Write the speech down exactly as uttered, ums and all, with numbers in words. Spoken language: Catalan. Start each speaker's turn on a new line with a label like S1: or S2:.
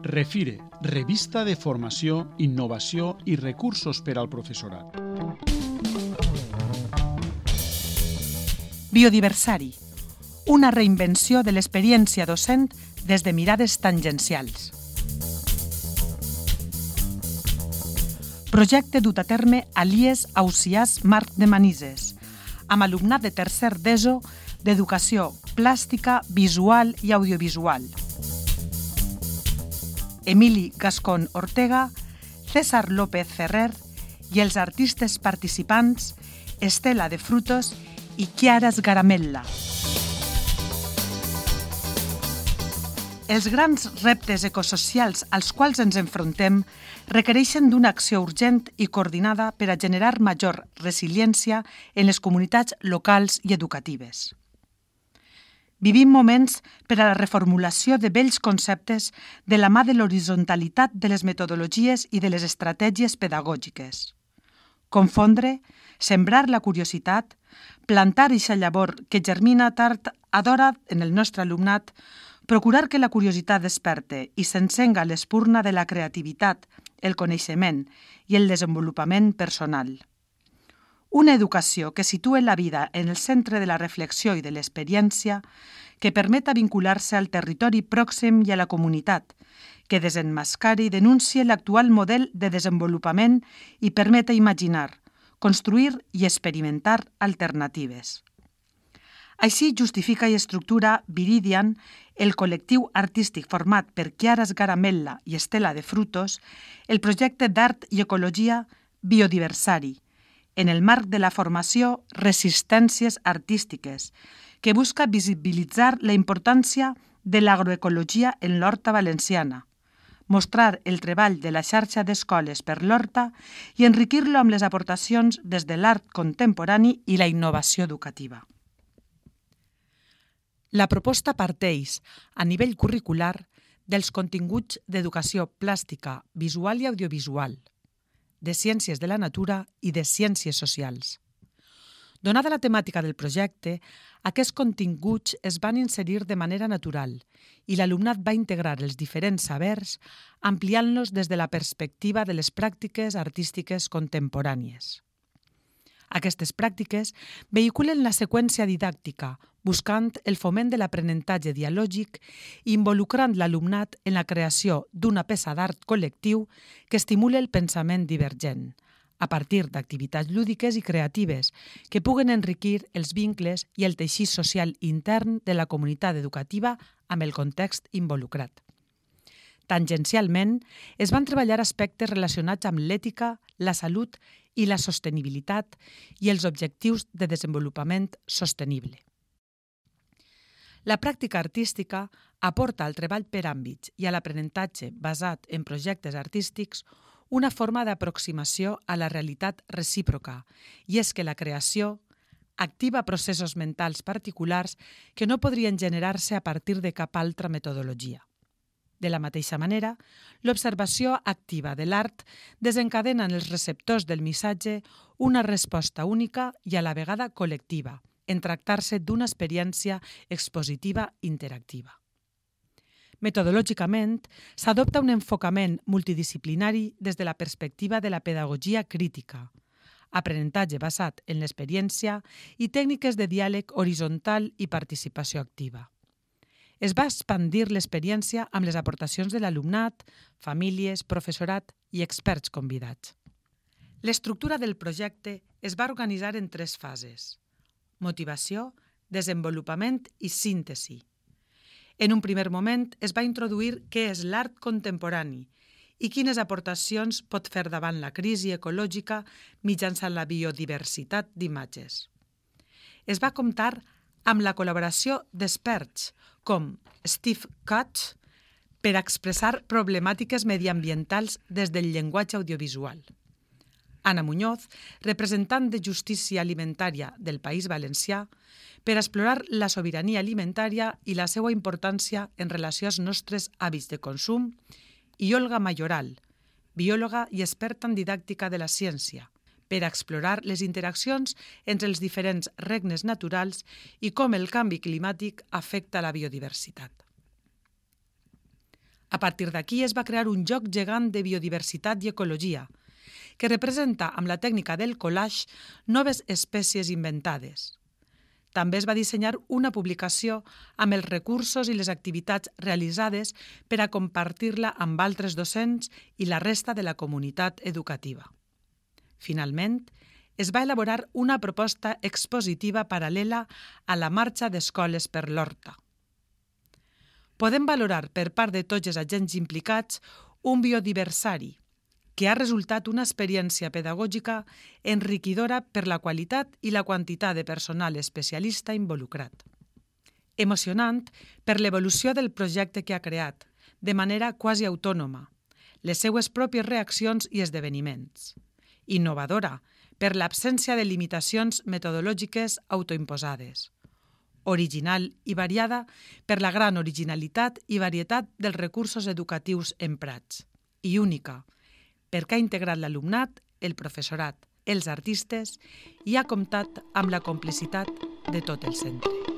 S1: Refire, revista de formació, innovació i recursos per al professorat.
S2: Biodiversari, una reinvenció de l'experiència docent des de mirades tangencials. Projecte dut a terme a l'I E S Ausiàs Marc de Manises, amb alumnat de tercer d'ESO d'Educació Plàstica, Visual i Audiovisual. Emili Gascón Ortega, César López Ferrer i els artistes participants Estela de Frutos i Chiara Sgaramella. Els grans reptes ecosocials als quals ens enfrontem requereixen d'una acció urgent i coordinada per a generar major resiliència en les comunitats locals i educatives. Vivim moments per a la reformulació de vells conceptes de la mà de l'horitzontalitat de les metodologies i de les estratègies pedagògiques. Confondre, sembrar la curiositat, plantar eixa llavor que germina tard a d'hora en el nostre alumnat, procurar que la curiositat desperte i s'encenga l'espurna de la creativitat, el coneixement i el desenvolupament personal. Una educació que situe la vida en el centre de la reflexió i de l'experiència, que permeta vincular-se al territori pròxim i a la comunitat, que desenmascari i denuncie l'actual model de desenvolupament i permeta imaginar, construir i experimentar alternatives. Així justifica i estructura Viridian, el col·lectiu artístic format per Chiara Sgaramella i Estela de Frutos, el projecte d'art i ecologia Biodiversari, en el marc de la formació Resistències Artístiques, que busca visibilitzar la importància de l'agroecologia en l'horta valenciana, mostrar el treball de la xarxa d'escoles per l'horta i enriquir-lo amb les aportacions des de l'art contemporani i la innovació educativa. La proposta parteix, a nivell curricular, dels continguts d'educació plàstica, visual i audiovisual, de ciències de la natura i de ciències socials. Donada la temàtica del projecte, aquests continguts es van inserir de manera natural i l'alumnat va integrar els diferents sabers ampliant-los des de la perspectiva de les pràctiques artístiques contemporànies. Aquestes pràctiques vehiculen la seqüència didàctica, buscant el foment de l'aprenentatge dialògic i involucrant l'alumnat en la creació d'una peça d'art col·lectiu que estimule el pensament divergent, a partir d'activitats lúdiques i creatives que puguen enriquir els vincles i el teixit social intern de la comunitat educativa amb el context involucrat. Tangencialment, es van treballar aspectes relacionats amb l'ètica, la salut i la sostenibilitat i els objectius de desenvolupament sostenible. La pràctica artística aporta al treball per àmbits i a l'aprenentatge basat en projectes artístics una forma d'aproximació a la realitat recíproca, i és que la creació activa processos mentals particulars que no podrien generar-se a partir de cap altra metodologia. De la mateixa manera, l'observació activa de l'art desencadena en els receptors del missatge una resposta única i a la vegada col·lectiva, en tractar-se d'una experiència expositiva interactiva. Metodològicament, s'adopta un enfocament multidisciplinari des de la perspectiva de la pedagogia crítica, aprenentatge basat en l'experiència i tècniques de diàleg horitzontal i participació activa. Es va expandir l'experiència amb les aportacions de l'alumnat, famílies, professorat i experts convidats. L'estructura del projecte es va organitzar en tres fases: motivació, desenvolupament i síntesi. En un primer moment es va introduir què és l'art contemporani i quines aportacions pot fer davant la crisi ecològica mitjançant la biodiversitat d'imatges. Es va comptar amb la col·laboració d'experts com Steve Kutch per expressar problemàtiques mediambientals des del llenguatge audiovisual. Anna Muñoz, representant de Justícia Alimentària del País Valencià, per explorar la sobirania alimentària i la seva importància en relació als nostres hàbits de consum, i Olga Mayoral, biòloga i experta en didàctica de la ciència, per explorar les interaccions entre els diferents regnes naturals i com el canvi climàtic afecta la biodiversitat. A partir d'aquí es va crear un joc gegant de biodiversitat i ecologia, que representa amb la tècnica del collage noves espècies inventades. També es va dissenyar una publicació amb els recursos i les activitats realitzades per a compartir-la amb altres docents i la resta de la comunitat educativa. Finalment, es va elaborar una proposta expositiva paral·lela a la marxa d'escoles per l'Horta. Podem valorar per part de tots els agents implicats un biodiversari, que ha resultat una experiència pedagògica enriquidora per la qualitat i la quantitat de personal especialista involucrat. Emocionant per l'evolució del projecte que ha creat, de manera quasi autònoma, les seues pròpies reaccions i esdeveniments. Innovadora per l'absència de limitacions metodològiques autoimposades. Original i variada per la gran originalitat i varietat dels recursos educatius emprats. I única, perquè ha integrat l'alumnat, el professorat, els artistes i ha comptat amb la complicitat de tot el centre.